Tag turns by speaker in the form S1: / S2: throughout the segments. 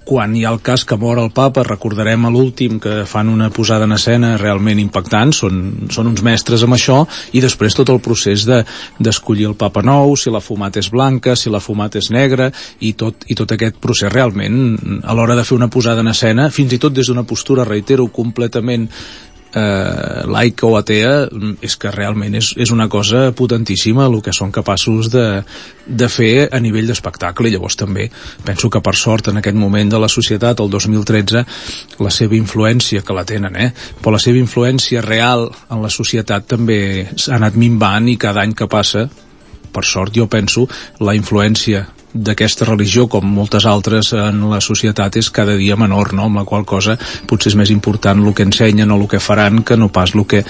S1: quan hi ha el cas que mor el papa, recordarem a l'últim que fan una posada en escena realment impactant, són uns mestres amb això, i després tot el procés d'escollir el papa nou, si la fumata és blanca, si la fumata és negra, i tot aquest procés realment, a l'hora de fer una posada en escena, fins i tot des d'una postura, reitero, completament laica o atea, és que realment és una cosa potentíssima el que són capaços de fer a nivell d'espectacle. I llavors també penso que per sort en aquest moment de la societat, el 2013, la seva influència, que la tenen, però la seva influència real en la societat també s'ha anat minvant, i cada any que passa, per sort jo penso, la influència d'aquesta religió, com moltes altres en la societat, és cada dia menor, no? Amb la qual cosa potser és més important el que ensenyen o el que faran que no pas el que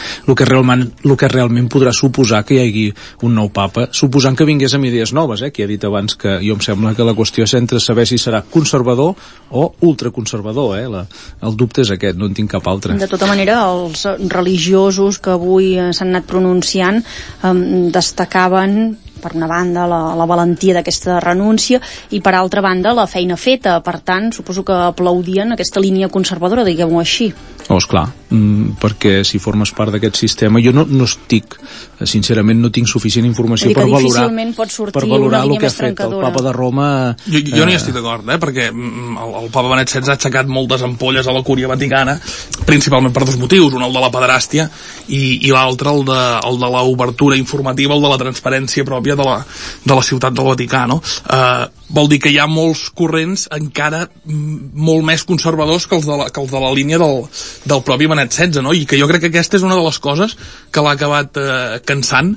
S1: realment podrà suposar que hi hagi un nou papa, suposant que vingués amb idees noves, que he dit abans que jo em sembla que la qüestió és entre saber si serà conservador o ultraconservador, el dubte és aquest, no en tinc cap altre.
S2: De tota manera, els religiosos que avui s'han anat pronunciant destacaven per una banda la valentia d'aquesta renúncia i per altra banda la feina feta, per tant suposo que aplaudien aquesta línia conservadora, diguem-ho així.
S1: Esclar, perquè si formes part d'aquest sistema, jo no estic, sincerament no tinc suficient informació per valorar el que ha fet el papa de Roma.
S3: Jo no hi estic d'acord, perquè el papa Benet XVI ha aixecat moltes ampolles a la Cúria Vaticana, principalment per dos motius, un el de la pederàstia i l'altre el de l'obertura informativa, el de la transparència pròpia de la ciutat del Vaticà, no? Vol dir que hi ha molts corrents encara molt més conservadors que els de la línia del propi Benet XVI, no? I que jo crec que aquesta és una de les coses que l'ha acabat cansant